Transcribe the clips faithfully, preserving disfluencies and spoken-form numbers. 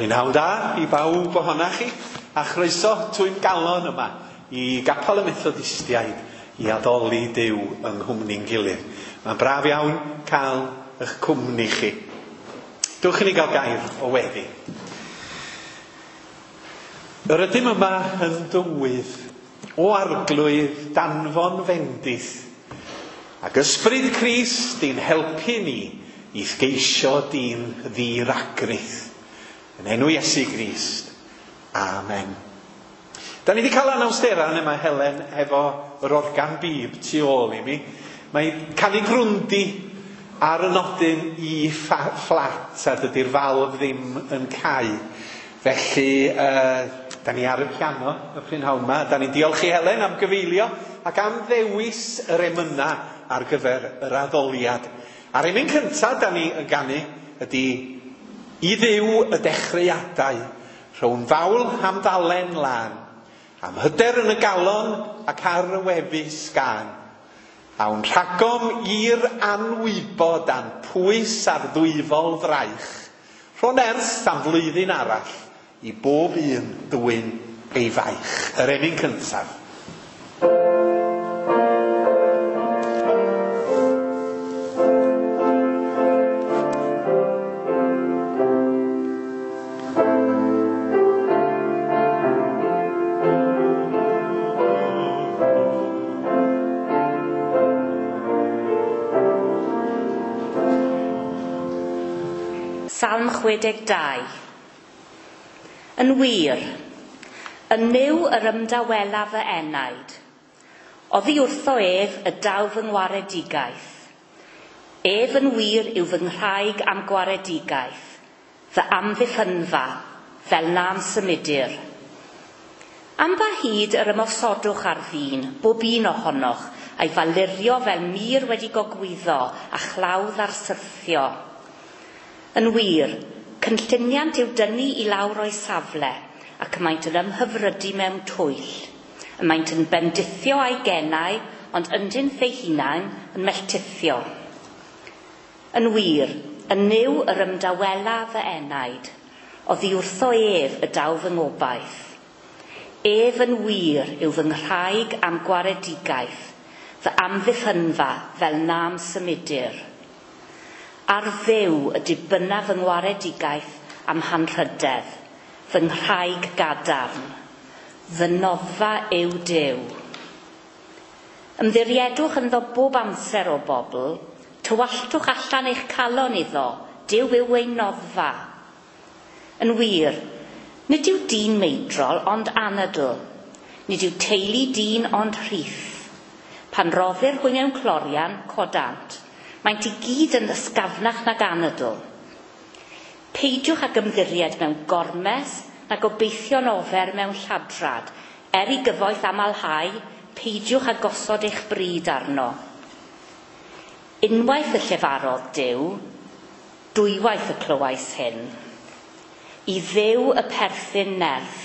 Prynhawn da i bawb ohonach chi, a chroeso twym galon yma i Gapel y Methodistiaid i addoli Duw yng nghwmni'n gilydd. Mae'n braf iawn cael eich cwmni chi. Dewch i ni gael gair o weddi. Yr ydym yma yn dywydd o Arglwydd danfon fendith ac ysbryd Crist i'n helpu ni i geisio dyn ddiragrith. Yn enw Iesu Grist. Amen. Da ni wedi cael anawsterau yma Helen efo yr organ bib tu ôl i mi. Mae canu grwndi ar y nodyn E fflat a dydy'r falf ddim yn cau. Felly, uh, da ni ar y piano y prynhawn yma. Da ni'n diolch i Helen am gyfeilio ac am ddewis yr emyna ar gyfer yr addoliad. A'r emyn cyntaf da ni yn ganu ydy I Dduw y dechreuadau, rhown fawl am ddalen lân, am hyder yn y galon ac ar y wefus gân. Awn rhagom i'r anwybod a'n pwys ar ddwyfol fraich, rho'n erth am flwyddyn arall i bob un ddwyn ei faich. Yr emyn cyntaf. Salm chwe deg dau. Yn wir, yn Nuw yr ymdawela fy enaid. Oddi wrtho ef y daw fy ngwaredigaeth. Ef yn wir yw fy nghraig am gwaredigaeth, fy amddiffynfa, fel na'n symudir. Am ba hyd yr ymosodwch ar ddyn, bob un ohonoch, a'i falurio fel mur wedi gogwyddo a chlawdd ar syrthio. Yn wir, cynlluniant yw dynnu i lawr o'i safle, ac maent yn ymhyfrydu mewn twyll. Y maent yn bendithio a'i genau, ond ynddynt eu hunain yn melltithio. Yn wir, yn Nuw yr ymdawela fy enaid, oddi wrtho ef y daw fy ngobaith. Ef yn wir yw fy nghraig am gwaredigaeth, fy amddiffynfa fel na'm symudir. Ar Dduw y dibynna fy ngwaredigaeth am hanrhydedd, fy nghraig gadarn, fy noddfa yw Duw. Ymddiriedwch ynddo bob amser o bobl, tywalltwch allan eich calon iddo, Duw yw ei noddfa. Yn wir, nid yw dyn meidrol ond anadl, nid yw teulu dyn ond rhith. Pan roddir hwy mewn clorian, codant. Maent i gyd yn ysgafnach nag anadl. Peidiwch ag ymddiried mewn gormes na gobeithio'n ofer mewn lladrad. Er i gyfoeth amlhau, peidiwch â gosod eich bryd arno. Unwaith y llefarodd Duw, dwywaith y clywais hyn. I Dduw y perthyn nerth,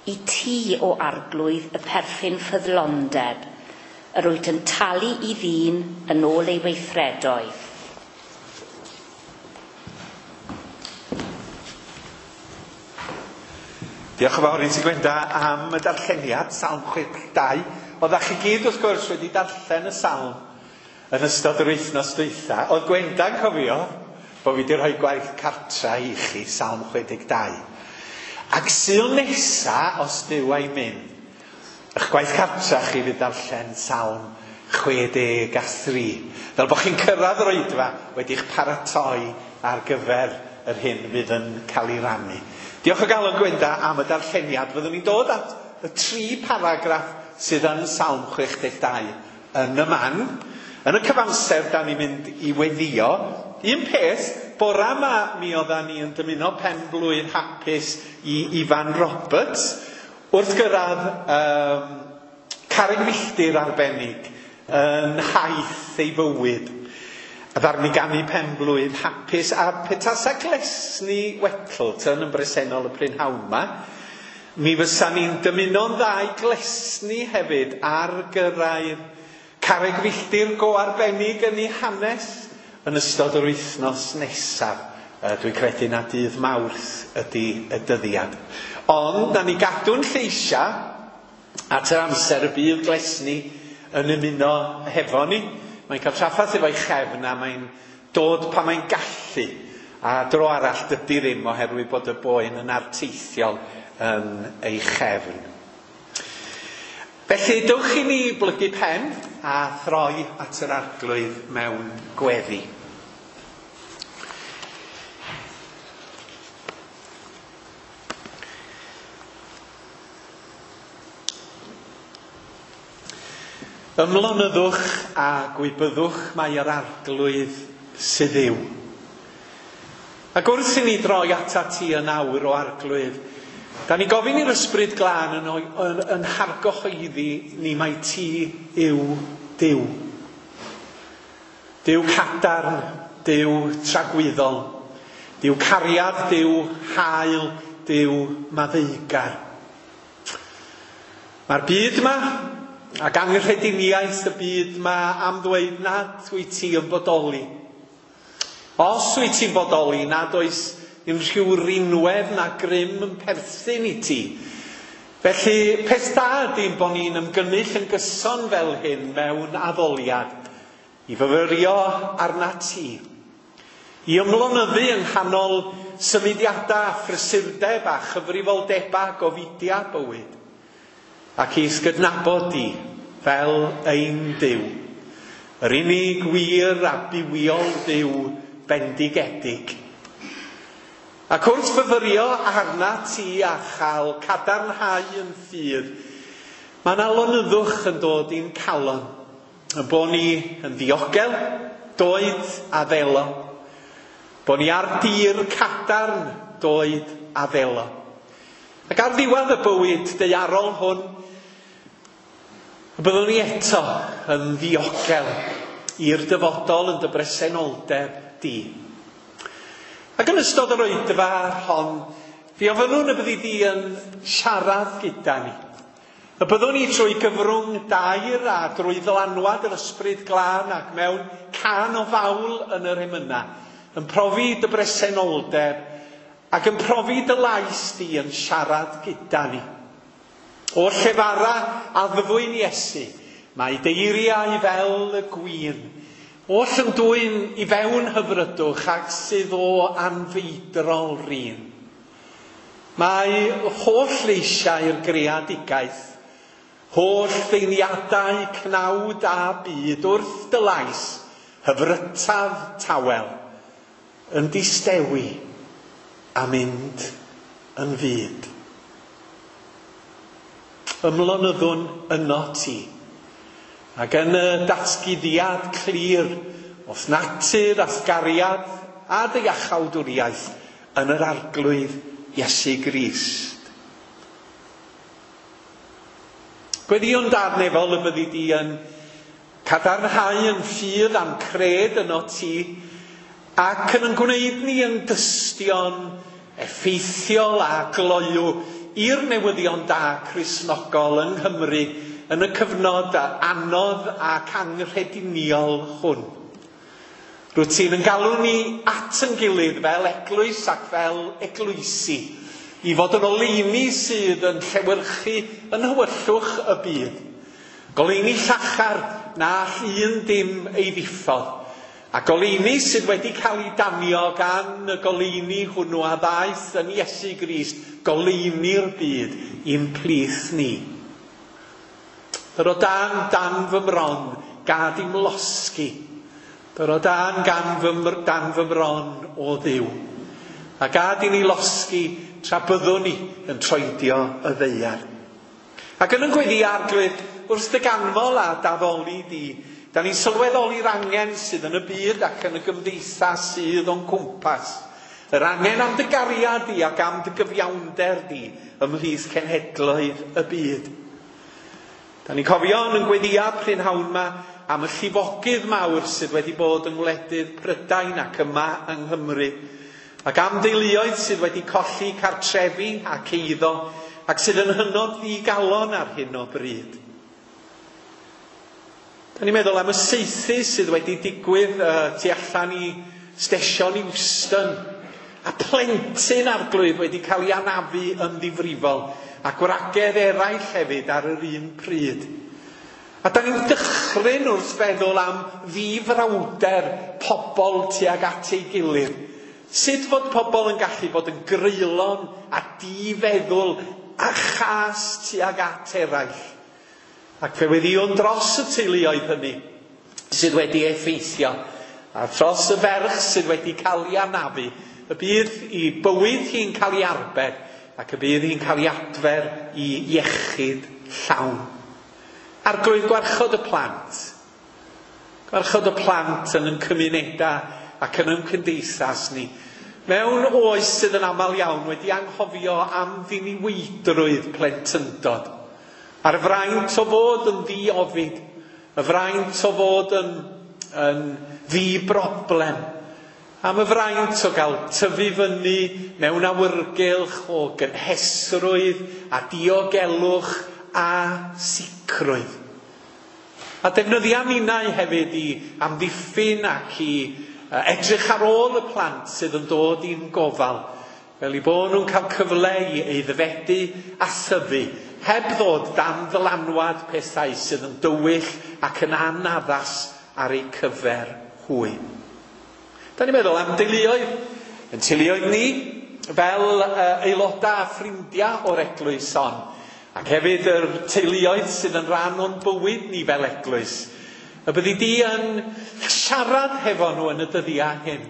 i ti o Arglwydd y perthyn ffyddlondeb, yr wyt yn talu i ddyn yn ôl ei weithredoedd. Diolch yn fawr i ti Gwenda am y darlleniad, Salm chwe deg dau. Oeddach chi gyd wrth gwrs wedi darllen y salm yn ystod yr wythnos dwytha. Oedd Gwenda'n cofio bod fi wedi rhoi gwaith cartra i chi, Salm chwe deg dau. Ac Sul nesa, os Duw a'i mynd, eich gwaith cartra chi fydd darllen Salm chwe deg a thri. Fel bod chi'n cyrraedd yr oedfa wedi'ch paratoi ar gyfer yr hyn fydd yn cael ei rannu. Diolch o galon Gwenda am y darlleniad. Fyddwn ni'n dod at y tri paragraff sydd yn Salm chwe deg dau yn y man. Yn y cyfamser, da ni'n mynd i weddio. Un peth, bora yma mi oeddan ni yn dymuno pen blwydd hapus i Ifan Roberts. Wrth gyrraedd um, carreg filltir arbennig yn haith ei fywyd. A ddaru ni ganu pen blwydd hapus a petasa Glesni Wettleton yn bresennol y prynhawn yma, mi fysa ni'n dymuno'n dda i Glesni hefyd ar gyrraedd carreg filltir go arbennig yn ei hanes yn ystod yr wythnos nesaf. Uh, dwi'n credu na dydd Mawrth ydy y dyddiad. Ond, na ni gadw'n lleisia at yr amser y bydd Glesni yn ymuno hefo ni. Mae'n cael trafferth efo'i chefn a mae'n dod pan mae'n gallu. A dro arall dydy ddim oherwydd bod y boen yn arteithiol yn ei chefn. Felly, dewch i ni blygu pen a throi at yr Arglwydd mewn gweddi. Ymlonyddwch a gwybyddwch mai yr Arglwydd sydd yw. Ac wrth i ni droi atat ti yn awr o Arglwydd, da ni gofyn i'r Ysbryd Glân yn, yn, yn hargyhoeddi ni mai ti yw Duw. Duw cadarn, Duw tragwyddol, Duw cariad, Duw hael, Duw maddeugar. Mae'r byd yma ac anghrediniaeth y byd yma am ddweud nad wyt ti yn bodoli. Os wyt ti'n bodoli, nad oes unrhyw rinwedd na grym yn perthyn i ti. Felly, peth da ydy bod ni'n ymgynnull yn gyson fel hyn mewn addoliad, i fyfyrio arna ti, i ymlonyddu yng nghanol symudiadau a phrysurdeb a chyfrifoldebau gofidia bywyd, ac i gydnabod di fel ein Duw, yr unig wir a bywiol Dduw bendigedig. Ac wrth fyfyrio arna ti a chael cadarnhau yn ffydd, mae yna lonyddwch yn dod i'n calon, y bod ni yn ddiogel, doed a ddelo, bod ni ar dir cadarn, doed a ddelo. Ac ar ddiwedd y bywyd daearol hwn, y byddwn ni eto yn ddiogel i'r dyfodol yn dy bresenoldeb di. Ac yn ystod yr oedfa hon, fi ofynnwn y byddi di yn siarad gyda ni. Y byddwn ni trwy gyfrwng dair a drwy ddylanwad yr Ysbryd Glân ac mewn cân o fawl yn yr emyna, yn profi dy bresenoldeb ac yn profi dy lais di yn siarad gyda ni. O llefara a ddyfwyn Iesu, mae deiriau fel y gwin, oll yn dwyn i fewn hyfrydwch ac sydd o anfeidrol rin. Mae holl leisiau'r greadigaeth, holl ddeiliadau cnawd a byd wrth dy lais, hyfrytaf tawel, yn distewi a mynd yn fyd. Ymlonyddwn yno ti, ac yn y datguddiad clir o'th natur a'th gariad a dy iachawdwriaeth yn yr Arglwydd Iesu Grist. Gweddïwn Dad nefol y byddi di yn cadarnhau yn ffydd a'n cred yno ti, ac yn yn gwneud ni yn dystion effeithiol a gloyw i'r newyddion da Cristnogol yng Nghymru yn y cyfnod anodd ac anghrediniol hwn. Rwyt ti'n yn galw ni at yn gilydd fel eglwys ac fel eglwysi, i fod yn oleuni sydd yn llewyrchu yn hywyllwch y byd. Goleuni llachar na all un dim ei ddiffodd, a goleuni sydd wedi cael ei danio gan y goleuni hwnnw a ddaeth yn Iesu Grist, goleuni'r byd i'n plith ni. Dyro dan dan fy mron, gad i'm losgi. Dyro dan gan fy, dan fy mron o Dduw. A gad i ni losgi tra byddwn ni yn troedio y ddaear. Ac yn yn gweddi Arglwydd, wrth dy ganmol a daddoli di, da ni'n sylweddoli'r angen sydd yn y byd ac yn y gymdeithas sydd o'n cwmpas. Yr angen am dy gariad di ac am dy gyfiawnder di ymhlith cenhedloedd y byd. Da ni'n cofio yn yn gweddia prynhawn ma am y llifogydd mawr sydd wedi bod yng ngwledydd Prydain ac yma yng Nghymru, ac am deuluoedd sydd wedi colli cartrefi ac eiddo ac sydd yn hynod ddigalon ar hyn o bryd. Da ni'n meddwl am y saethu sydd wedi digwydd uh, tu allan i stesion Euston A plentyn Arglwydd wedi cael ei anafu yn ddifrifol, a gwragedd eraill hefyd ar yr un pryd. A da ni'n dychryn wrth feddwl am ddifrawder pobl tuag at ei gilydd. Sut fod pobl yn gallu bod yn greulon a difeddwl a chas tuag at eraill. Ac fe weddïwn dros y teuluoedd hynny sydd wedi effeithio, a dros y ferch sydd wedi cael ei anafu, y bydd i bywyd hi'n cael ei arbed ac y bydd hi'n cael ei adfer i iechyd llawn. Arglwydd, gwarchod y plant. Gwarchod y plant yn ein cymunedau ac yn ein cymdeithas ni. Mewn oes sydd yn aml iawn wedi anghofio am ddiniweidrwydd plentyndod. A'r fraint o fod yn ddiofid, y fraint o fod yn, yn ddi-broblem, am y fraint o gael tyfu fyny mewn awyrgylch o gynhesrwydd a diogelwch a sicrwydd. A defnyddia ninnau hefyd i amddiffyn ac i edrych ar ôl y plant sydd yn dod i'n gofal, fel i bod nhw'n cael cyfle i aeddfedu a thyfu, heb ddod dan ddylanwad pethau sydd yn dywyll ac yn anaddas ar eu cyfer hwy. Da ni'n meddwl am deuluoedd, yn teuluoedd ni, fel uh, aelodau a ffrindiau o'r eglwys hon, ac hefyd yr teuluoedd sydd yn rhan o'n bywyd ni fel eglwys. Y byddi di yn siarad hefo nhw yn y dyddiau hyn,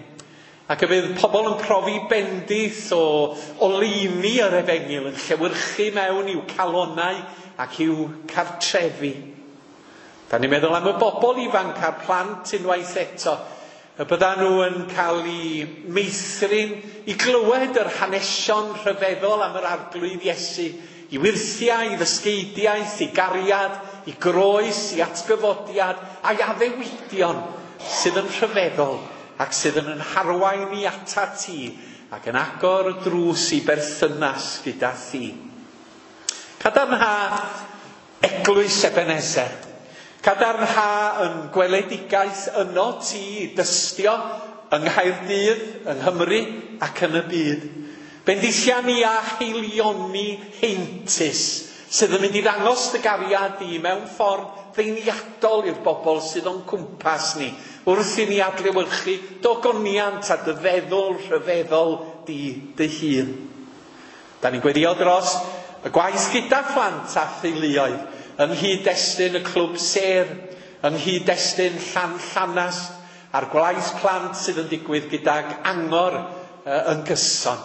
ac y bydd pobl yn profi bendith o oleuni yr efengyl yn llewyrchu mewn i'w calonau ac i'w cartrefi. Da ni'n meddwl am y bobl ifanc a'r plant unwaith eto, y byddan nhw yn cael eu meithrin i glywed yr hanesion rhyfeddol am yr Arglwydd Iesu, i wyrthiau, i ddysgeidiaeth, i gariad, i groes, i atgyfodiad, a'i addewidion sydd yn rhyfeddol ac sydd yn harwain i ata ti ac yn agor y drws i berthynas gyda thi. Cadarnha eglwys Ebenezer. Cadarnha yn gweledigaeth yno ti i dystio yng Nghaerdydd, yng Nghymru ac yn y byd. Bendithia ni a heilioni heintus sydd yn mynd i ddangos dy gariad di mewn ffordd ddeiniadol i'r bobl sydd o'n cwmpas ni, wrth i ni adlewyrchu dogoniant a dy feddwl rhyfeddol di dy hun. Da ni'n gweddio dros y gwaith gyda phlant a theuluoedd, yng nghyd-destun y clwb sêr, yng nghyd-destun Llan Llanast, a'r gwaith plant sydd yn digwydd gydag angor uh, yn gyson.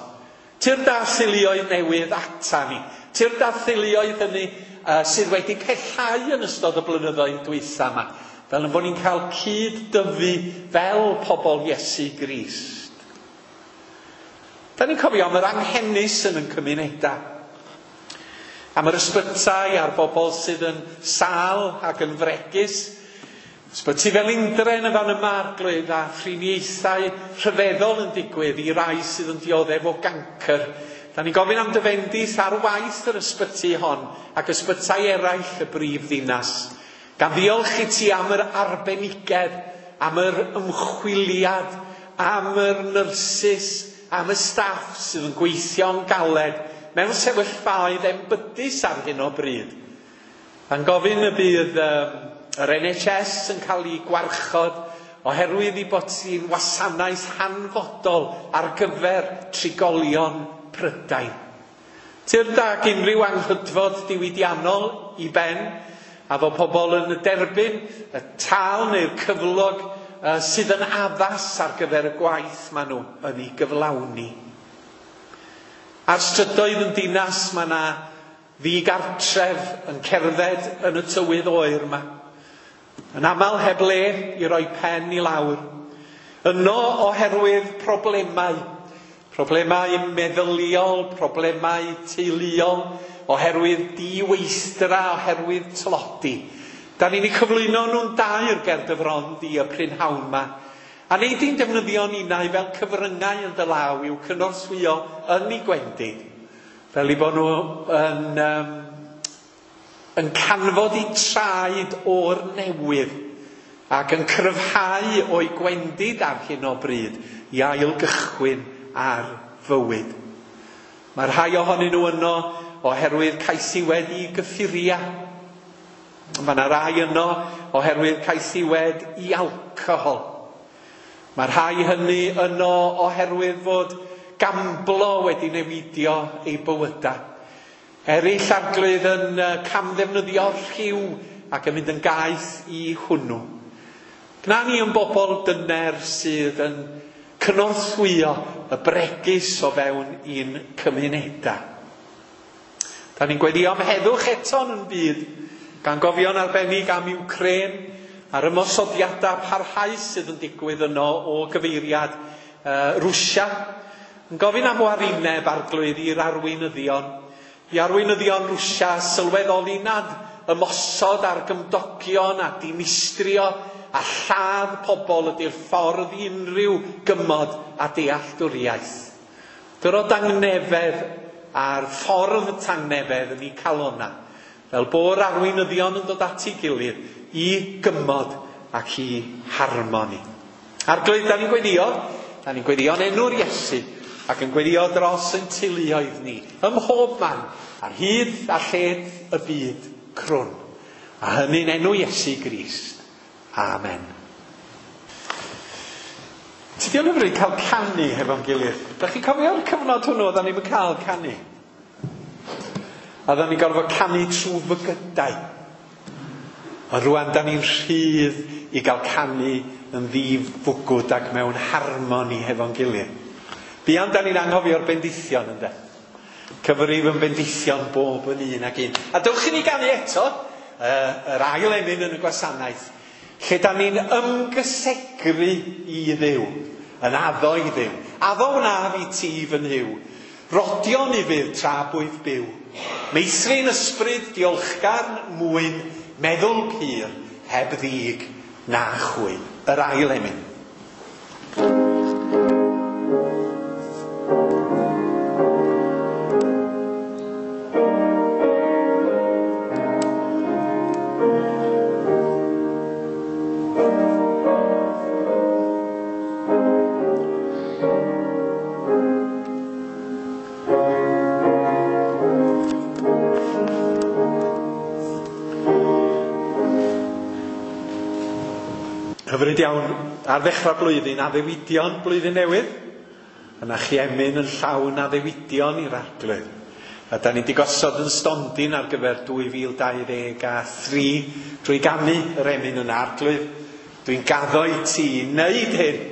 Tyrd â theuluoedd newydd ata ni. Tyrd â theuluoedd hynny uh, sydd wedi pellhau yn ystod y blynyddoedd dwytha yma, fel yn bod ni'n cael cyd-dyfu fel pobl Iesu Grist. Da ni'n cofio am yr anghenus yn ein cymunedau, am yr ysbytai a'r bobl sydd yn sâl ac yn fregus. Ysbyty Felindre yn y fan yma, Arglwydd, a thriniaethau rhyfeddol yn digwydd i rai sydd yn dioddef o gancr. Da ni'n gofyn am dy fendith ar waith yr ysbyty hon ac ysbytai eraill y brif ddinas. Gan ddiolch i ti am yr arbenigedd, am yr ymchwiliad, am yr nyrsys, am y staff sydd yn gweithio'n galed mewn sefyllfaoedd enbydus ar hyn o bryd. A'n gofyn y bydd um, yr N H S yn cael ei gwarchod oherwydd ei bod hi'n wasanaeth hanfodol ar gyfer trigolion Prydain. Tyrd ag unrhyw anghydfod diwydiannol i ben, a fod pobl yn derbyn y tâl neu'r cyflog uh, sydd yn addas ar gyfer y gwaith maen nhw yn ei gyflawni. Ar strydoedd yn dinas mae yna ddigartref yn cerdded yn y tywydd oer yma. Yn aml heb le i roi pen i lawr. Yno oherwydd problemau. Problemau meddyliol, problemau teuluol, oherwydd diweithdra, oherwydd tlodi. Da ni'n eu cyflwyno nhw'n dair ger dy fron di y prynhawn yma. A nei di'n defnyddio ninnau fel cyfryngau yn dy law i'w cynorthwyo yn eu gwendid. Fel i bod nhw yn, um, yn canfod eu traed o'r newydd ac yn cryfhau o'i gwendid ar hyn o bryd i ailgychwyn ar fywyd. Mae rhai ohonyn nhw yno oherwydd caethiwed i gyffuria. Mae yna rai yno oherwydd caethiwed i alcohol. Mae rhai hynny yno oherwydd fod gamblo wedi newidio eu bywydau. Eraill, Arglwydd, yn camddefnyddio rhyw ac yn mynd yn gaeth i hwnnw. Gwna ni yn bobl dyner sydd yn cynorthwyo y bregus o fewn ein cymunedau. Da ni'n gweddio am heddwch eto yn byd, gan gofio'n arbennig am Ukraine a'r ymosodiadau parhaus sydd yn digwydd yno o gyfeiriad uh, Rwsia. Yn gofyn am warineb, Arglwydd, i'r arweinyddion. I arweinyddion Rwsia sylweddoli nad ymosod ar gymdogion a dinistrio a lladd pobl ydy'r ffordd i unrhyw gymod a dealltwriaeth. Dyro dangnefedd a'r ffordd tangnefedd yn eu calona, fel bo'r arweinyddion yn dod at ei gilydd i gymod ac i harmoni. Arglwydd, da ni'n gweddio, da ni'n gweddio yn enw'r Iesu, ac yn gweddio dros ein teuluoedd ni, ym mhob man, ar hyd a lled y byd crwn. A hynny'n enw Iesu Grist. Amen. Tydi o'n hyfryd cael canu hefo'n gilydd? Da chi'n cofio'r cyfnod hwnnw oedden ni'n cael canu? A oedden ni'n gorfod canu trwy fygydau. Ond rwan da ni'n rhydd i gael canu yn ddifwgwd ac mewn harmoni hefo'n gilydd. Buan da ni'n anghofio'r bendithion, ynde? Cyfrif yn bendithion bob yn un ac un. A dewch i ni ganu eto, uh, yr ail emyn yn y gwasanaeth, lle da ni'n ymgysegru i Dduw, yn addo i Dduw. Addo wnaf i ti fy Nuw, rodion i fydd tra bwyf byw. Meithrin ysbryd diolchgar mwyn, meddwl pur, heb ddig na chwyn. Yr ail emyn. Hyfryd iawn, ar ddechrau blwyddyn, addewidion blwyddyn newydd. Yna chi emyn yn llawn addewidion i'r Arglwydd. A da ni wedi gosod yn stondin ar gyfer dwy fil dau ddeg a thri drwy ganu yr emyn yn Arglwydd. Dwi'n gaddo i ti wneud hyn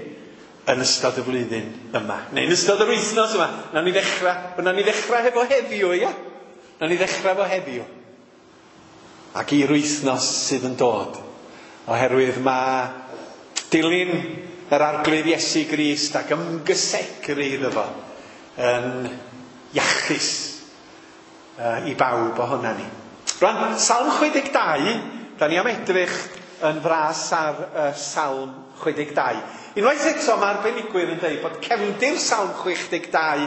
yn ystod y flwyddyn yma. Neu yn ystod yr wythnos yma. Nawn ni ddechrau, nawn ni ddechrau hefo heddiw, ia? Nawn ni ddechrau efo heddiw. Ac i'r wythnos sydd yn dod. Oherwydd mae dilyn yr Arglwydd Iesu Grist ac ymgysegru iddo fo yn iachus uh, i bawb ohona ni. Rwan, Salm chwe deg dau, da ni am edrych yn fras ar uh, Salm chwe deg dau. Unwaith eto mae arbenigwyr yn dweud bod cefndir Salm chwe deg dau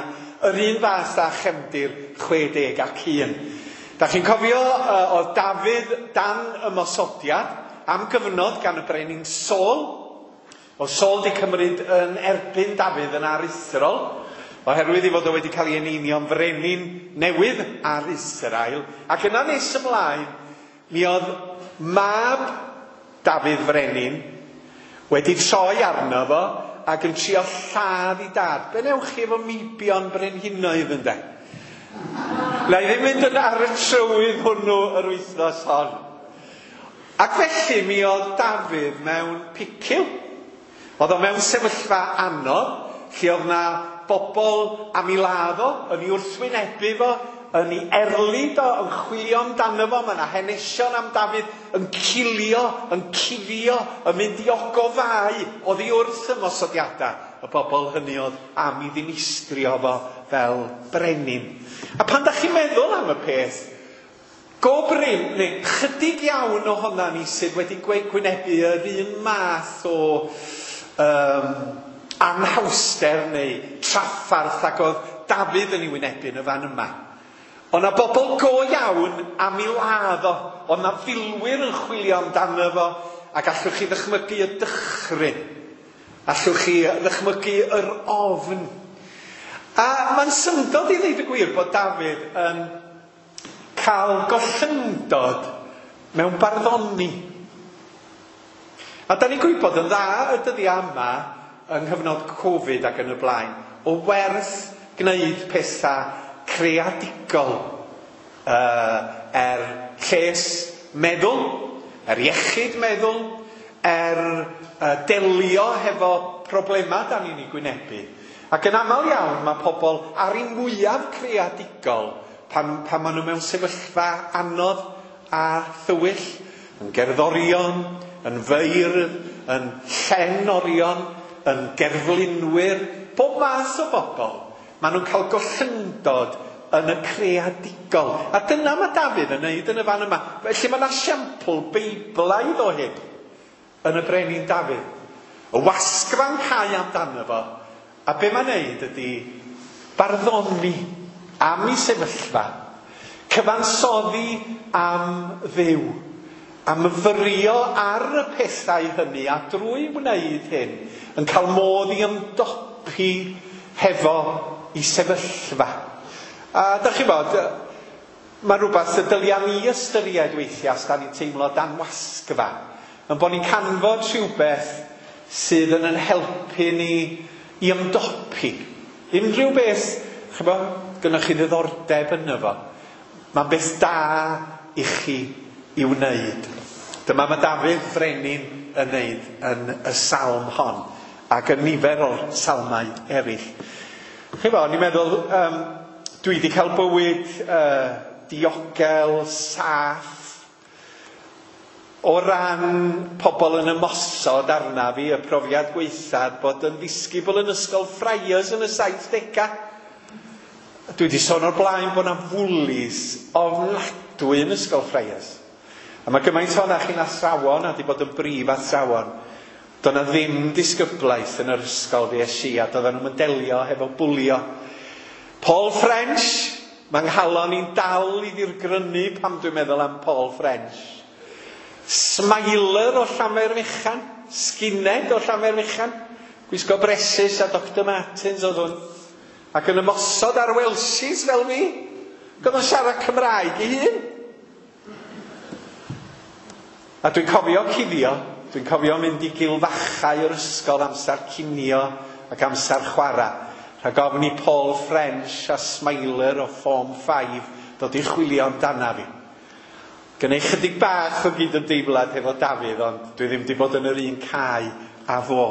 yr un fath â chefndir chwe deg ac un. Da chi'n cofio uh, oedd Dafydd dan ymosodiad am gyfnod gan y brenin Saul. Oedd Saul wedi cymryd yn erbyn Dafydd yn aruthrol, oherwydd ei fod o wedi cael ei eneinio'n frenin newydd ar Israel. Ac yna nes ymlaen, mi oedd mab Dafydd frenin wedi troi arno fo ac yn trio lladd i dad. Be newch chi efo meibion brenhinoedd, ynde? Na i ddim mynd yn ar y trywydd hwnnw yr wythnos hon. Ac felly mi oedd Dafydd mewn picil. Oedd o mewn sefyllfa anodd, lle oedd na bobl am ei ladd o, yn ei wrthwynebu fo, yn ei erlid o, yn chwilio amdano fo. Mae yna hanesion am Dafydd yn cilio, yn cuddio, yn mynd i ogofau oddi wrth ymosodiadau. Y bobl hynny oedd am ei ddinistrio fo fel brenin. A pan da chi'n meddwl am y peth, go brin, neu chydig iawn ohona ni sydd wedi gwynebu yr un math o um, anhawster neu traffarth ac oedd Dafydd yn ei wynebu yn y fan yma. Oedd na bobl go iawn am ei ladd o, oedd na filwyr yn chwilio amdano fo, ac allwch chi ddychmygu y dychryn, allwch chi ddychmygu yr ofn. A mae'n syndod i ddeud y gwir bod Dafydd yn cael gollyngdod mewn barddoni. A da ni'n gwybod yn dda y dyddiau yma yng nghyfnod Covid ac yn y blaen, o werth gwneud pethau creadigol uh, er lles meddwl, er iechyd meddwl, er uh, delio hefo problemau da ni'n ei gwynebu. Ac yn aml iawn mae pobl ar eu mwyaf creadigol pan, pan maen nhw mewn sefyllfa anodd a thywyll, yn gerddorion, yn feirdd, yn llenorion, yn gerflunwyr, bob math o bobl. Maen nhw'n cael gollyngdod yn y creadigol. A dyna mae Dafydd yn neud yn y fan yma. Felly mae yna siampl beiblaidd o hyn yn y brenin Dafydd. Y wasgfa'n cau amdano fo. A be mae'n neud ydy barddoni am ei sefyllfa, cyfansoddi am Dduw, a myfyrio ar y pethau hynny, a drwy wneud hyn, yn cael modd i ymdopi hefo ei sefyllfa. A da chi bod, mae rhywbeth y dylia ni ystyried weithiau os da ni'n teimlo dan wasgfa, yn bod ni'n canfod rhywbeth sydd yn yn helpu ni i ymdopi. Unrhyw beth, ch'bo, gynnoch chi ddiddordeb yno fo, mae'n beth da i chi i wneud. Dyma mae Dafydd Frenin yn wneud yn y salm hon, ac yn nifer o'r salmau eraill. Ch'bo, o'n i'n meddwl, um, dwi wedi cael bywyd uh, diogel, saff, o ran pobl yn ymosod arna fi, y profiad gwaethaf bod yn ddisgybl yn ysgol Friars yn y saithdegau. Dwi wedi sôn o'r blaen bod yna fwlis ofnadwy yn ysgol Friars. A mae gymaint o'na chi'n athrawon a wedi bod yn brif athrawon. Doedd 'na ddim disgyblaeth yn yr ysgol fi es i, a doedden nhw'n delio hefo bwlio. Paul French, mae nghalon i'n dal i ddirgrynu pan dwi'n meddwl am Paul French. Smiler o Llanfairfechan, skinhead o Llanfairfechan, gwisgo bresys a Doctor Martens oedd hwn, ac yn ymosod ar Welsies fel fi, oedd o'n siarad Cymraeg ei hun. A dwi'n cofio cuddio, dwi'n cofio mynd i gilfachau yr ysgol amser cinio ac amser chwarae, rhag ofn i Paul French a Smiler o Form five ddod i chwilio amdana fi. Gynna i chydig bach o gydymdeimlad hefo Dafydd, ond dwi ddim wedi bod yn yr un cae a fo.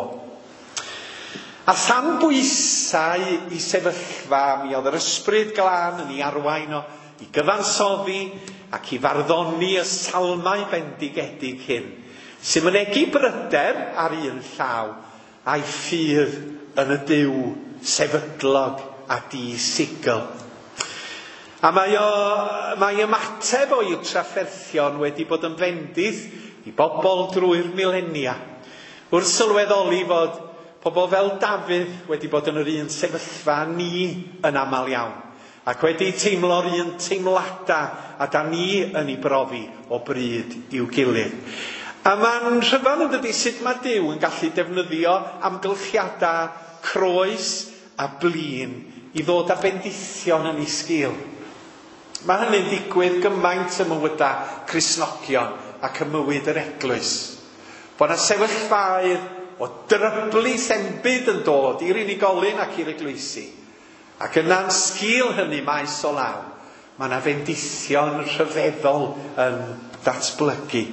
A than bwysau i sefyllfa, mi oedd yr ysbryd glân yn ei arwain o i gyfansoddi ac i farddoni y salmau bendigedig hyn, sy'n mynegi bryder ar un llaw a'i ffydd yn y Duw sefydlog a di-sigl. A mae, o, mae ymateb o'i trafferthion wedi bod yn fendith i bobl drwy'r milenia. Wrth sylweddoli fod pobl fel Dafydd wedi bod yn yr un sefyllfa ni yn aml iawn, ac wedi teimlo'r un teimladau a da ni yn ei brofi o bryd i'w gilydd. A mae'n rhyfedd yn dydi sut mae Duw yn gallu defnyddio amgylchiadau croes a blin i ddod â bendithion yn ei sgil. Mae hynny'n digwydd gymaint ym mywydau Cristnogion ac ym mywyd yr eglwys. Bod yna sefyllfaoedd o dryblu enbyd yn dod i'r unigolyn ac i'r eglwysi. Ac yna'n sgil hynny maes o law, mae yna fendithion rhyfeddol yn datblygu.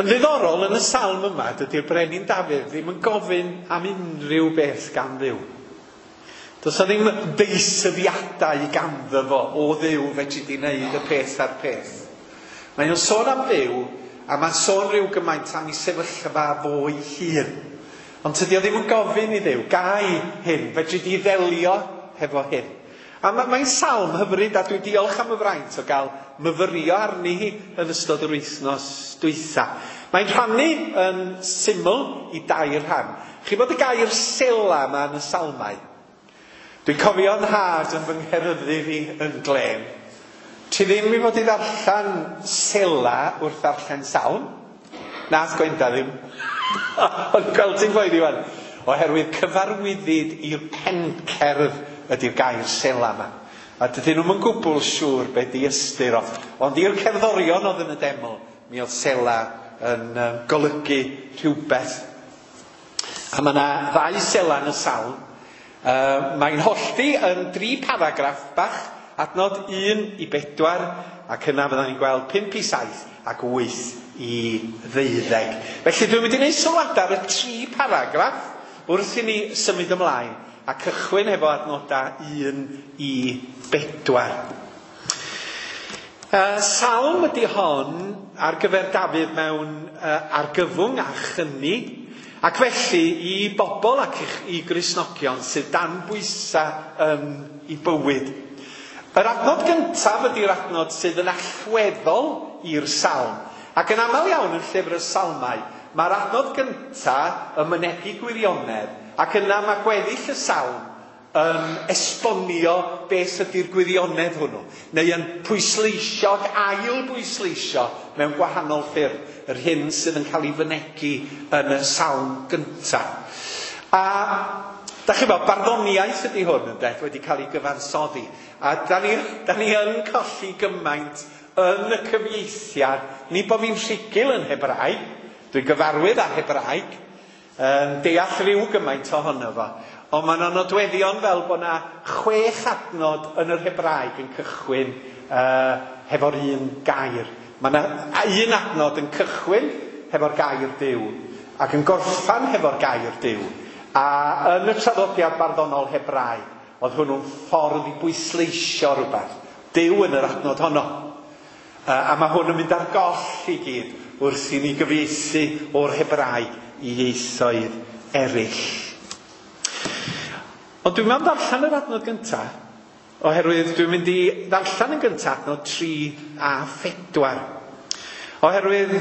Yn ddiddorol yn y salm yma, dydy'r brenin Dafydd ddim yn gofyn am unrhyw beth gan Dduw. Does 'na ddim deisyfiadau ganddo fo o Dduw fedri di wneud y peth a'r peth. Mae o'n sôn am Dduw, a mae'n sôn rhyw gymaint am ei sefyllfa fo'i hun. Ond tydi o ddim yn gofyn i Dduw, gai hyn, fedri di ddelio hefo hyn. A mae'n salm hyfryd, a dwi'n diolch am y fraint o gael myfyrio arni hi yn ystod yr wythnos dwytha. Mae'n rhannu yn syml i dair rhan. Chi bod y gair sela yma yn y salmau? Dwi'n cofio 'nhad yn fy ngheryddu fi yn glên. Ti ddim i fod i ddarllen sela wrth ddarllen salm. Nath Gwenda ddim. Ond gweld ti'n poeni wan. Oherwydd cyfarwyddyd i'r pencerdd ydy'r gair sela yma. A dydyn nhw'm yn gwbl siŵr be di ystyr o. Ond i'r cerddorion oedd yn y deml, mi oedd sela yn um, golygu rhywbeth. A mae yna ddau sela yn y salm. Uh, mae'n hollti yn dri paragraff bach, adnod un i bedwar, ac yna fyddan ni'n gweld pump i saith ac wyth i ddeuddeg. Felly dwi'n mynd i wneud sylwadau ar y tri paragraff wrth i ni symud ymlaen a cychwyn efo adnodau un i bedwar. Uh, salm ydy hon ar gyfer Dafydd mewn uh, argyfwng a chyni, ac felly i bobl ac i Gristnogion sydd dan bwysau yn ei bywyd. Yr adnod gyntaf ydy'r adnod sydd yn allweddol i'r salm. Ac yn aml iawn yn llyfr y salmau, mae'r adnod gyntaf yn mynegi gwirionedd, ac yna mae gweddill y salm yn esbonio beth ydy'r gwirionedd hwnnw, neu yn pwysleisio ac ail bwysleisio mewn gwahanol ffyrdd yr hyn sydd yn cael ei fynegi yn y salm gyntaf. A da chi'n gwybod, barddoniaeth ydy hwn yn beth wedi cael ei gyfansoddi. A da ni, da ni yn colli gymaint yn y cyfieithiad. Ni bod fi'n rhugl yn Hebraeg, dwi'n gyfarwydd â Hebraeg, yn deall rhyw gymaint ohono fo. Ond mae yna nodweddion fel bod yna chwech adnod yn yr Hebraeg yn cychwyn uh, hefo'r un gair. Mae yna un adnod yn cychwyn hefo'r gair Duw ac yn gorffan hefo'r gair Duw. A yn y traddodiad barddonol Hebraeg, oedd hwnnw'n ffordd i bwysleisio rhywbeth. Duw yn yr adnod honno. Uh, a mae hwn yn mynd ar goll i gyd wrth i ni gyfieithu o'r Hebraeg i ieithoedd eraill. Ond dwi'n mynd ddarllen yr adnod gyntaf, oherwydd dwi'n mynd i ddarllen yn gyntaf adnod tri a phedwar. Oherwydd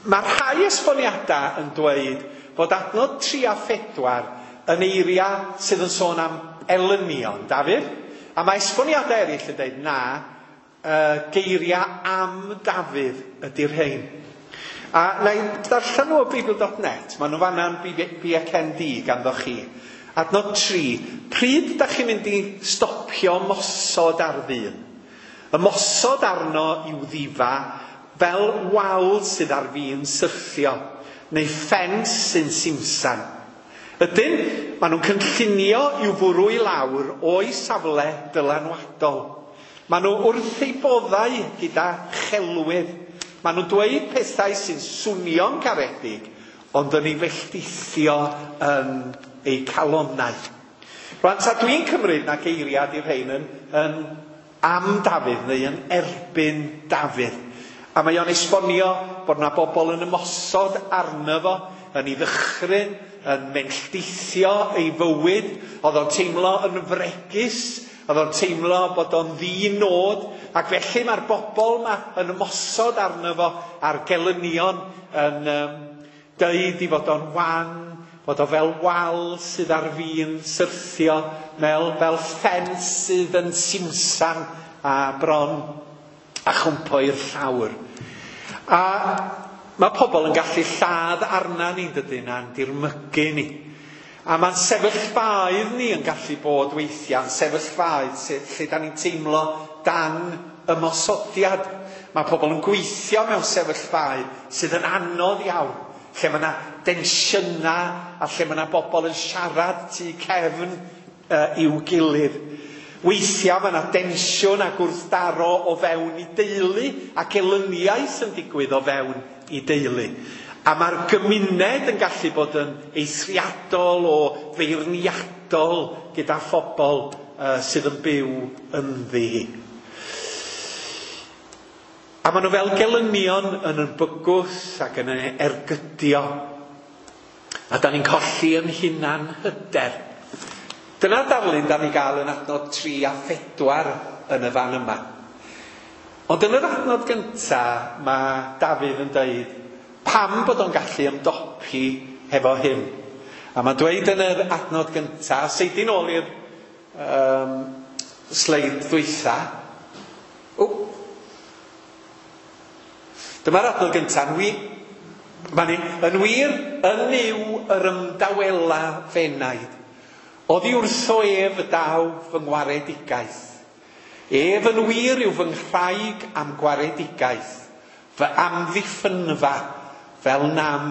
mae rhai esboniadau yn dweud bod adnod tri a phedwar yn eiriau sydd yn sôn am elynion, Dafydd. A mae esboniadau eraill yn dweud na, uh, geiriau am Dafydd ydy'r rhain. A na i ddarllen nhw o Beibl dot net, maen nhw fanna'n B C N D ganddo chi. Adnod tri, pryd da chi'n mynd i stopio mosod ar ddyn? Ymosod arno i'w ddifa fel wal sydd ar fin syrthio, neu ffens sy'n simsan. Ydyn, maen nhw'n cynllunio i'w fwrw i lawr o'i safle dylanwadol. Maen nhw wrth eu boddau gyda chelwydd. Maen nhw'n dweud pethau sy'n swnio'n caredig, ond yn ei felltithio yn eu calonnau. Rwan, ta dwi'n cymryd na geiriad i'r rhain yn, yn am Dafydd neu yn erbyn Dafydd. A mae o'n esbonio bod yna bobl yn ymosod arno fo, yn ei ddychryn, yn melltithio ei fywyd. Oedd o'n teimlo yn fregus, oedd o'n teimlo bod o'n ddi-nod, ac felly mae'r bobl yma yn ymosod arno fo a'r gelynion yn um, deud i fod o'n wan, bod o fel wal sydd ar fin syrthio, mel, fel ffens sydd yn simsan a bron a chwmpo i'r llawr. A mae pobl yn gallu lladd arna ni'n dydyn a'n dirmygu ni. A mae'n sefyllfaoedd ni yn gallu bod weithiau, yn sefyllfaoedd lle, lle da ni'n teimlo dan ymosodiad. Mae pobl yn gweithio mewn sefyllfaoedd sydd yn anodd iawn, lle mae yna densiynau a lle mae yna bobl yn siarad tu cefn uh, i'w gilydd. Weithiau mae yna densiwn a gwrthdaro o fewn i deulu ac elyniaeth yn digwydd o fewn i deulu. A mae'r gymuned yn gallu bod yn eithriadol o feirniadol gyda phobl uh, sydd yn byw ynddi. A maen nhw fel gelynion yn yn bygwth ac yn ergydio. A da ni'n colli yn hunan hyder. Dyna'r darlun da ni gael yn adnod tri a phedwar yn y fan yma. Ond yn yr adnod gyntaf, mae Dafydd yn dweud pam bod o'n gallu ymdopi hefo hyn. A mae'n dweud yn yr adnod gyntaf, seidin ôl i'r um, sleid ddwytha. O! Dyma'r adnod gyntaf. Wi, Mae'n yn wir, yn Nuw yr ymdawela f'enaid. Oddi wrtho ef y daw fy ngwaredigaeth. Ef yn wir yw fy nghraig am gwaredigaeth, fy amddiffynfa fel nam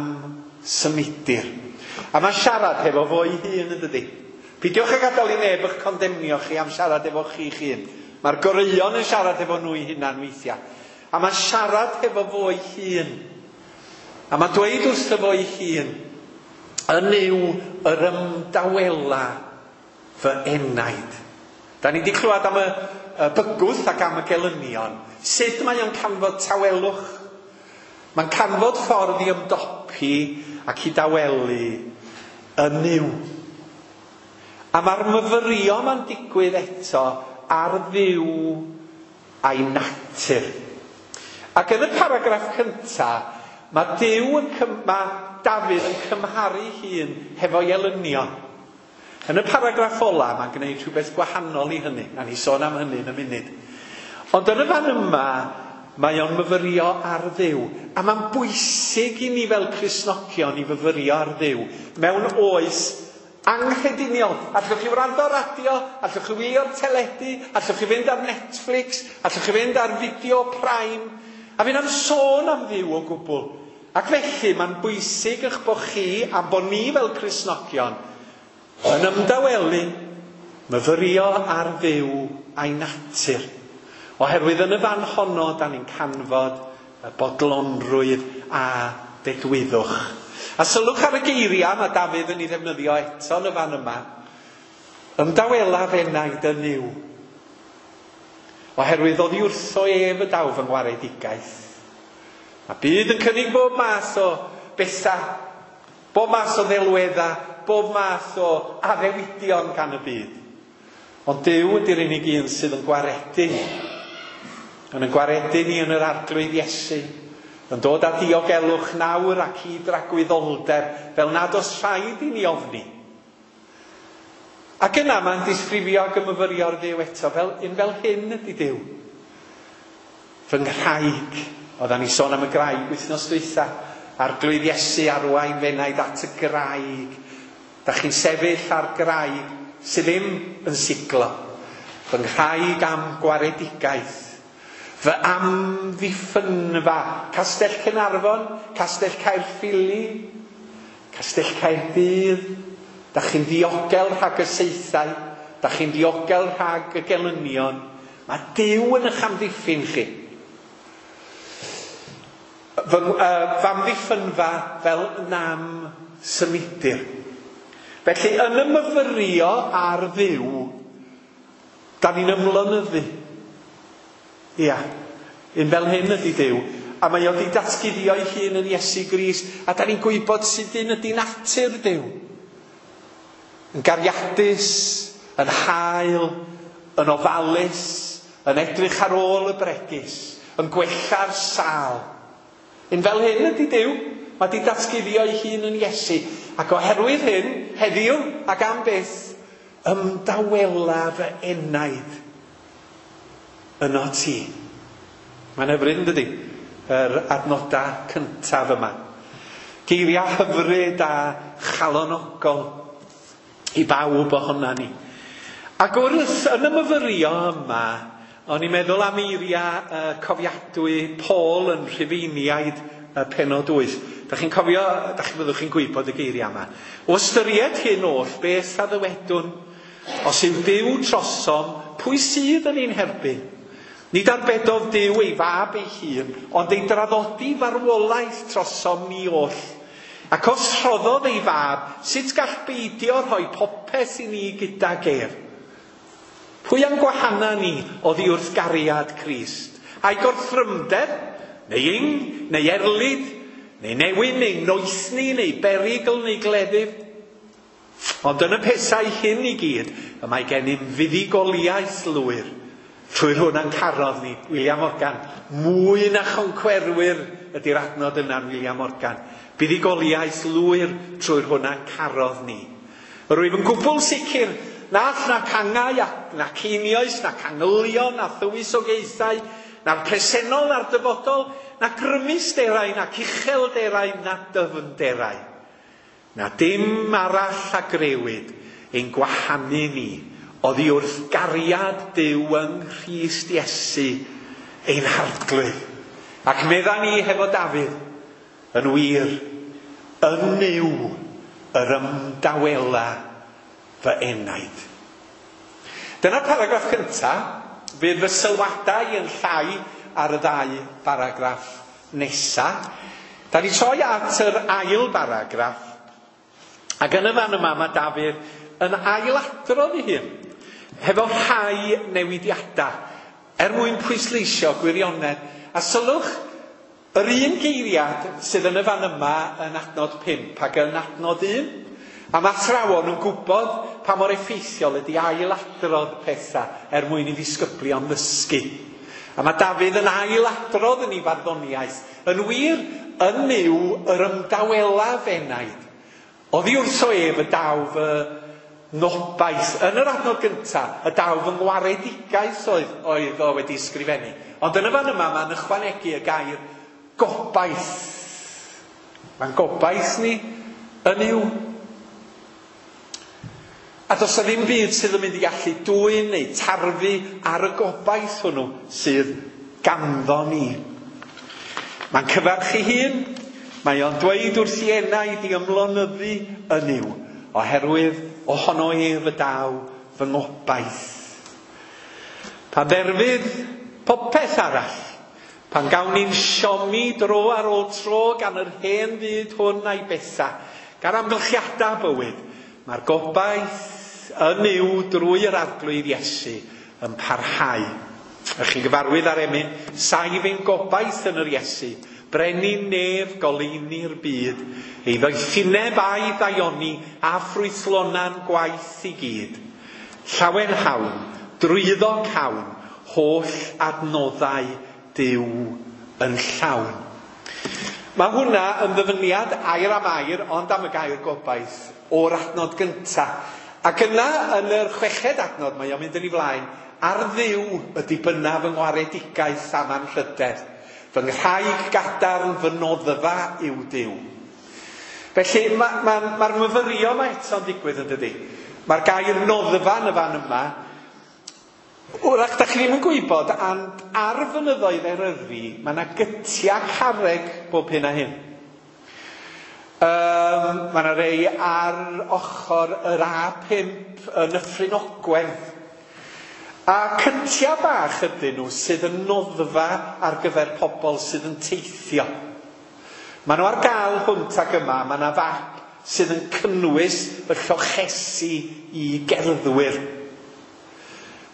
symudir. A mae'n siarad hefo fo'i hun yn dydi. Peidiwch â gadael i neb eich condemnio chi am siarad efo chi'ch hun. Mae'r goreuon yn siarad efo nhw'i hunan weithiau. A mae'n siarad hefo fo'i hun. A mae'n dweud wrtho fo'i hun, yn Nuw yr ymdawela fy enaid. Da ni wedi clywed am y, y bygwth ac am y gelynion. Sut mae o'n canfod tawelwch? Mae'n canfod ffordd i ymdopi ac i dawelu yn Nuw. A mae'r myfyrio ma'n digwydd eto ar Dduw a'i natur. Ac yn y paragraff cyntaf, mae Duw yn cym, mae Dafydd yn cymharu hun hefo'i elynion. Yn y paragraff ola, mae'n gwneud rhywbeth gwahanol i hynny. Na ni sôn am hynny yn y munud. Ond yn y fan yma, mae o'n myfyrio ar Dduw. A mae'n bwysig i ni fel Cristnogion i fyfyrio ar Dduw mewn oes anghrediniol. Allwch chi wrando ar radio, allwch chi wylio'r teledu, allwch chi fynd ar Netflix, allwch chi fynd ar Video Prime, a fynd am sôn am Dduw o gwbl. Ac felly mae'n bwysig eich bod chi, a bod ni fel Cristnogion, yn ymdawelu, myfyrio ar Dduw a'i natur. Oherwydd yn y fan honno, da ni'n canfod y bodlonrwydd a dedwyddwch. A sylwch ar y geiriau mae Dafydd yn ei ddefnyddio eto yn y fan yma. Ymdawela f'enaid yn Nuw. Oherwydd oddi wrtho ef y daw fy ngwaredigaeth. Mae byd yn cynnig bob math o bethau, bob math o ddelweddau, bob math o addewidion gan y byd. Ond Duw ydy'r unig un sydd yn gwaredu. Yn yn gwaredu ni yn yr Arglwydd Iesu. Yn dod â diogelwch nawr ac i dragwyddoldeb, fel nad oes rhaid i ni ofni. Ac yna mae'n disgrifio ac ymyfyrio'r Dduw eto, fel, un fel hyn ydy Duw. Fy nghraig, oeddan ni sôn am y graig wythnos dwytha, Arglwydd Iesu arwain f'enaid at y graig. Da chi'n sefyll ar graig sydd ddim yn siglo. Fy nghraig am gwaredigaeth. Fy amddiffynfa, Castell Caernarfon, Castell Caerffili, Castell Caerdydd. Da chi'n ddiogel rhag y saethau, da chi'n ddiogel rhag y gelynion. Mae Duw yn eich amddiffyn chi. Fy, uh, fy amddiffynfa fel nam symudir. Felly, yn y myfyrio ar Dduw, da ni'n ymlonyddu. Ia, un fel hyn ydy Duw. A mae o wedi datguddio'i hun yn Iesu Grist, a da ni'n gwybod sut un ydy natur Duw. Yn gariadus, yn hael, yn ofalus, yn edrych ar ôl y bregus, yn gwella'r sâl. Un fel hyn ydy Duw. Mae wedi datguddio'i hun yn Iesu. Ac oherwydd hyn, heddiw ac am byth, ymdawela fy enaid yno ti. Mae'n hyfryd, yn dydi? Yr adnodau cyntaf yma. Geiriau hyfryd a chalonogol i bawb ohona ni. Ac wrth yn y myfyrio yma, o'n i'n meddwl am eiriau uh, cofiadwy Paul yn Rhufeiniaid uh, pennod wyth. Da chi'n cofio, da chi fyddwch chi'n gwybod y geiriau yma. O ystyried hyn oll, beth a ddywedwn? Os yw Duw trosom, pwy sydd yn ein herbyn? Nid arbedodd Duw ei fab ei hun, ond ei draddodi farwolaeth trosom ni oll. Ac os rhoddodd ei fab, sut gall beidio rhoi popeth i ni gydag ef? Pwy a'n gwahana ni oddi wrth gariad Crist? Ai gorthrymder, neu ing, neu erlid, neu newyn, neu noethni, neu berygl, neu gleddyf? Ond yn y pethau hyn i gyd, y mae gennym fuddugoliaeth lwyr. Trwy'r hwn a'n carodd ni, William Morgan. Mwy na choncwerwyr ydy'r adnod yna'n William Morgan. Buddugoliaeth lwyr trwy'r hwn a'n carodd ni. Rwyf yn gwbl sicr na all na cangau, na ceinios, na cangylion, na thywysogaethau, na'r presennol, na'r dyfodol, na grymusderau, na uchelderau, na dyfnderau. Na dim arall a grewyd ein gwahanu ni oddi wrth gariad Duw yng Nghrist Iesu ein Harglwydd. Ac medda ni hefo Dafydd, yn wir, yn Nuw yr ymdawela fy enaid. Dyna'r paragraff cyntaf. Fydd fy sylwadau yn llai ar y ddau baragraff nesa. Da ni troi at yr ail baragraff. Ac yn y fan yma mae Dafydd yn ailadrodd ei hun, hefo rhai newidiadau, er mwyn pwysleisio gwirionedd. A sylwch, yr un geiriad sydd yn y fan yma yn adnod pump ac yn adnod un. A mae athrawon yn gwybod pa mor effeithiol ydy ailadrodd pethau er mwyn i ddisgyblion ddysgu. A mae Dafydd yn ailadrodd yn ei farddoniaeth. Yn wir, yn Nuw yr ymdawela f'enaid. Oddi wrtho ef y daw fy ngobaith. Yn yr adnod gyntaf, y daw fy ngwaredigaeth oedd, oedd o wedi ysgrifennu. Ond yn y fan yma, mae'n ychwanegu y gair gobaith. Mae'n gobaith ni yn Nuw. A does 'na ddim byd sydd yn mynd i gallu dwyn neu tarfu ar y gobaith hwnnw sydd ganddo ni. Mae'n cyfarch ei hun, mae o'n dweud wrth ei enaid i ymlonyddu yn Nuw, oherwydd ohono ef y daw fy ngobaith. Pan dderfydd popeth arall, pan gawn ni'n siomi dro ar ôl tro gan yr hen fyd hwn a'i bethau, gan amgylchiadau bywyd, mae'r gobaith yn Nuw drwy yr Arglwydd Iesu yn parhau. Ych chi'n gyfarwydd ar emyn, saif ein gobaith yn yr Iesu, brenin nef goleuni'r byd, ei ddoethineb a'i ddaioni a ffrwythlona'n gwaith i gyd. Llawen hawn, drwyddo cawn, holl adnoddau Duw yn llawn. Mae hwnna yn ddyfyniad air am air, ond am y gair gobaith, o'r adnod gyntaf. Ac yna, yn yr chweched adnod, mae o'n mynd yn ei flaen, ar Dduw y dibynna fy ngwaredigaeth am anrhydedd. Fy nghraig gadarn fy noddfa yw Duw. Felly, mae'r ma, ma, ma myfyrio yma eto'n digwydd yn dydi. Mae'r gair noddfa yn y fan yma. Wrach, da chi ddim yn gwybod, ond ar fynyddoedd Eryri, mae yna gytiau carreg bob hyn a hyn. Um, mae yna rei ar ochr yr A pump yn Nyffryn Ogwen. A cytiau bach ydyn nhw sydd yn noddfa ar gyfer pobl sydd yn teithio. Maen nhw ar gael hwnt ag yma, mae yna fap sydd yn cynnwys y llochesi i gerddwyr.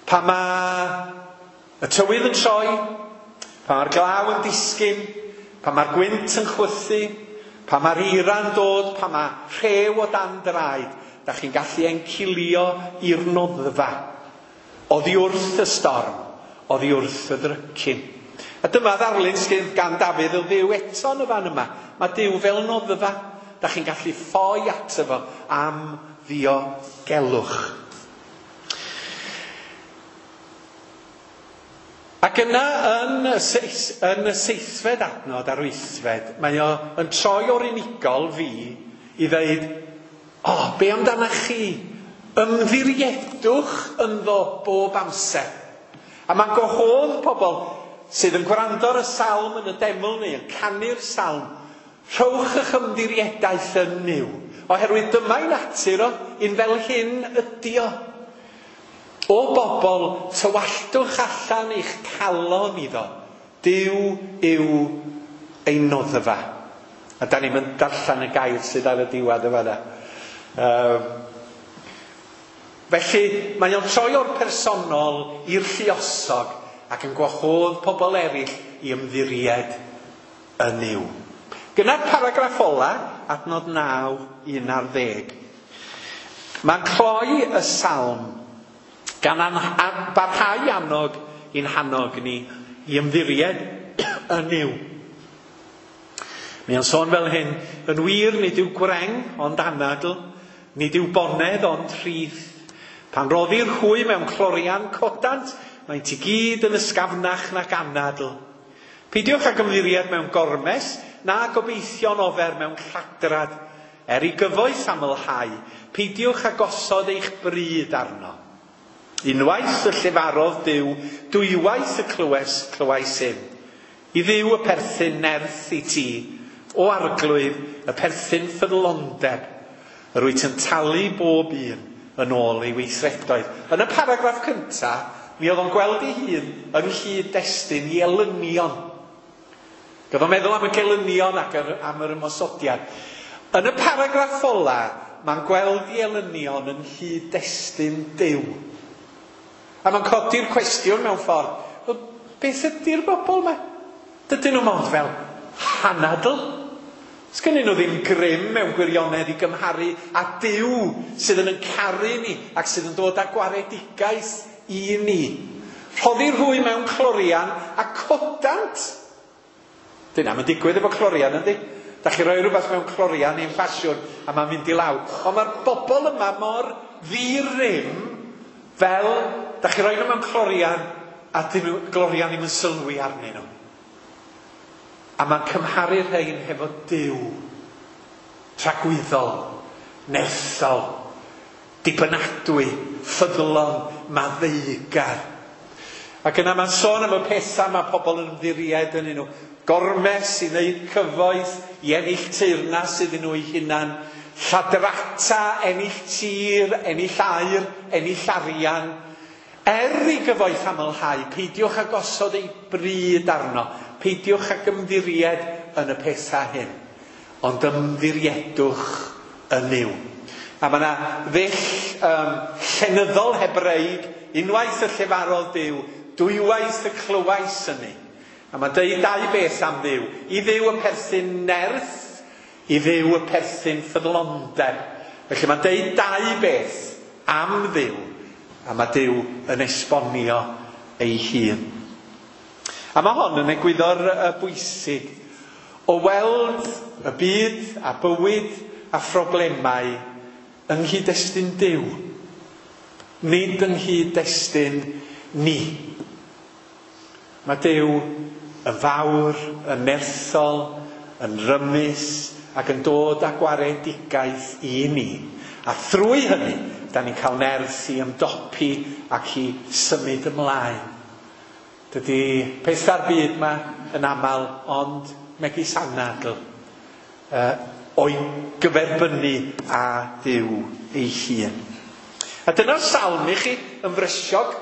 Pan mae y tywydd yn troi, pan mae'r glaw yn disgyn, pan mae'r gwynt yn chwythu, pan mae'r eira'n dod, pan mae rhew o dan draed, da chi'n gallu encilio i'r noddfa. Oddi wrth y storm, oddi wrth y ddrycin. A dyma ddarlun sydd gan Dafydd o Dduw eto yn y fan yma. Mae Duw fel noddfa. Da chi'n gallu ffoi ato fo am ddiogelwch. Ac yna yn y, seis, yn y seithfed adnod a'r wythfed, mae o yn troi o'r unigol fi i ddeud, o, oh, be amdanach chi? Ymddiriedwch ynddo bob amser. A mae'n gwahodd pobl sydd yn gwrando ar y salm yn y deml neu yn canu'r salm, rhowch eich ymddiriedaeth yn Nuw, oherwydd dyma'i natur o, un fel hyn ydi o. O bobl, tywalltwch allan eich calon iddo. Duw yw ein noddfa. A da ni'n mynd darllen y gair sydd ar y diwedd y fanna. Um, felly, mae o'n troi o'r personol i'r lluosog ac yn gwahodd pobl eraill i ymddiried yn Nuw. Gyda'r paragraff ola, adnod naw, un ar ddeg. Mae'n cloi y salm gan an, an, barhau annog i'n hannog ni i ymddiried yn Nuw. Mae o'n sôn fel hyn, yn wir nid yw gwreng ond anadl, nid yw bonedd ond rhith. Pan roddir hwy mewn clorian codant, maent i gyd yn ysgafnach nac anadl. Peidiwch ag ymddiried mewn gormes, na gobeithio'n ofer mewn lladrad, er i gyfoeth amlhau, peidiwch â gosod eich bryd arno. Unwaith y llefarodd Duw, dwywaith y clywes, clywais hyn. I Dduw y perthyn nerth i ti, o Arglwydd, y perthyn ffyddlondeb, yr wyt yn talu bob un yn ôl ei weithredoedd. Yn y paragraff cyntaf, mi oedd o'n gweld ei hun yng nghyd-destun i elynion. Gyda meddwl am y gelynion ac am yr ymosodiad. Yn y paragraff ola, mae'n gweld i elynion yn nghyd-destun Duw. A mae'n codi'r cwestiwn mewn ffordd, well, beth ydy'r bobl yma? Dydyn nhw mond fel hanadl? Sgynnyn nhw ddim grym mewn gwirionedd i gymharu â Duw sydd yn yn caru ni ac sydd yn dod â gwaredigaeth i ni. Rhoddir hwy mewn clorian a codant. Dyna, mae'n digwydd efo clorian, yndi? Da chi roi rhywbeth mewn clorian i'n ffasiwn a mae'n mynd i lawr. Ond mae'r bobl yma mor ddi-rym fel da chi roi nhw mewn clorian a dyn nhw, glorian ddim yn sylwi arnyn nhw. A mae'n cymharu rhain hefo Duw, tragwyddol, nerthol, dibynadwy, ffyddlon, maddeugar. Ac yna mae'n sôn am y pethau mae pobl yn ymddiried yn nhw. Gormes i wneud cyfoeth, i ennill teyrnas iddyn nhw eu hunan, lladrata, ennill tir, ennill aur, ennill arian. Er i gyfoeth amlhau, peidiwch â gosod ei bryd arno, peidiwch ag ymddiried yn y pethau hyn, ond ymddiriedwch yn Nuw. A mae yna ddull um, llenyddol Hebreig, unwaith y llefarodd Duw, dwywaith y clywais hynny. A mae'n deud dau beth am Dduw. I Dduw y perthyn nerth, i Dduw y perthyn ffyddlondeb. Felly mae'n deud dau beth am Dduw, a mae Duw yn esbonio ei hun. A mae hon yn egwyddor bwysig o weld y byd a bywyd a phroblemau yng nghyd-destun Duw, nid yng nghyd-destun ni. Mae Duw yn fawr, yn nerthol, yn rymus ac yn dod â gwaredigaeth i ni. A thrwy hynny, da ni'n cael nerth i ymdopi ac i symud ymlaen. Dydy pethau'r byd yma yn aml, ond megis anadl, uh, o'i gyferbynnu â Duw ei hun. A dyna'r salm i chi yn frysiog.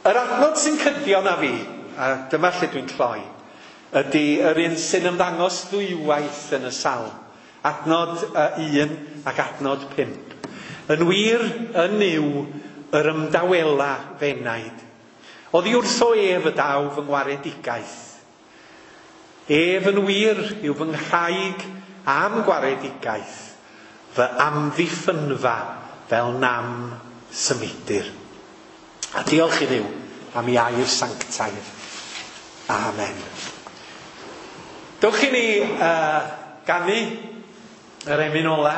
Yr adnod sy'n cydio na fi, a dyma lle dwi'n cloi, ydy yr un sy'n ymddangos ddwywaith yn y salm. Adnod un ac adnod pump. Yn wir, yn Nuw, yr ymdawela f'enaid. Oddi wrtho ef y daw fy ngwaredigaeth. Ef yn wir yw fy nghraig am gwaredigaeth, fy amddiffynfa fel nam symudir. A diolch i Dduw am ei air sanctaidd. Amen. Dewch i ni uh, ganu yr emyn ola.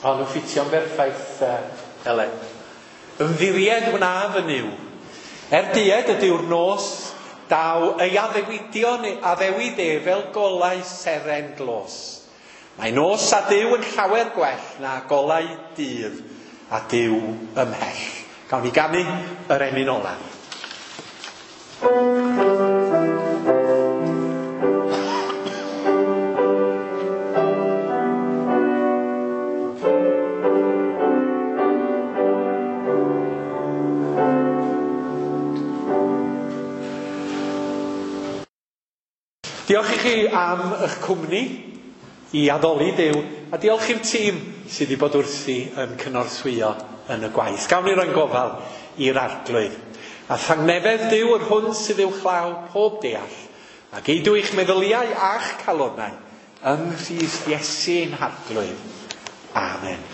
O, nhw'n ffitio'n berffaith, uh, Elen. Ymddiried wna fy Nuw. Er dued ydyw'r nos, daw ei addewidion addewid e fel golau seren glos. Mae nos a Duw yn llawer gwell na golau dydd a Duw ymhell. Gawn ni ganu yr emyn ola. Diolch i chi am eich cwmni i addoli Duw, a diolch i'r tîm sydd wedi bod wrthi yn cynorthwyo yn y gwaith. Gawn ni roi'n gofal i'r Arglwydd. A thangnefedd Duw yr hwn sydd uwchlaw pob deall, a geidw eich meddyliau a'ch calonnau yng Nghrist Iesu ein Harglwydd. Amen.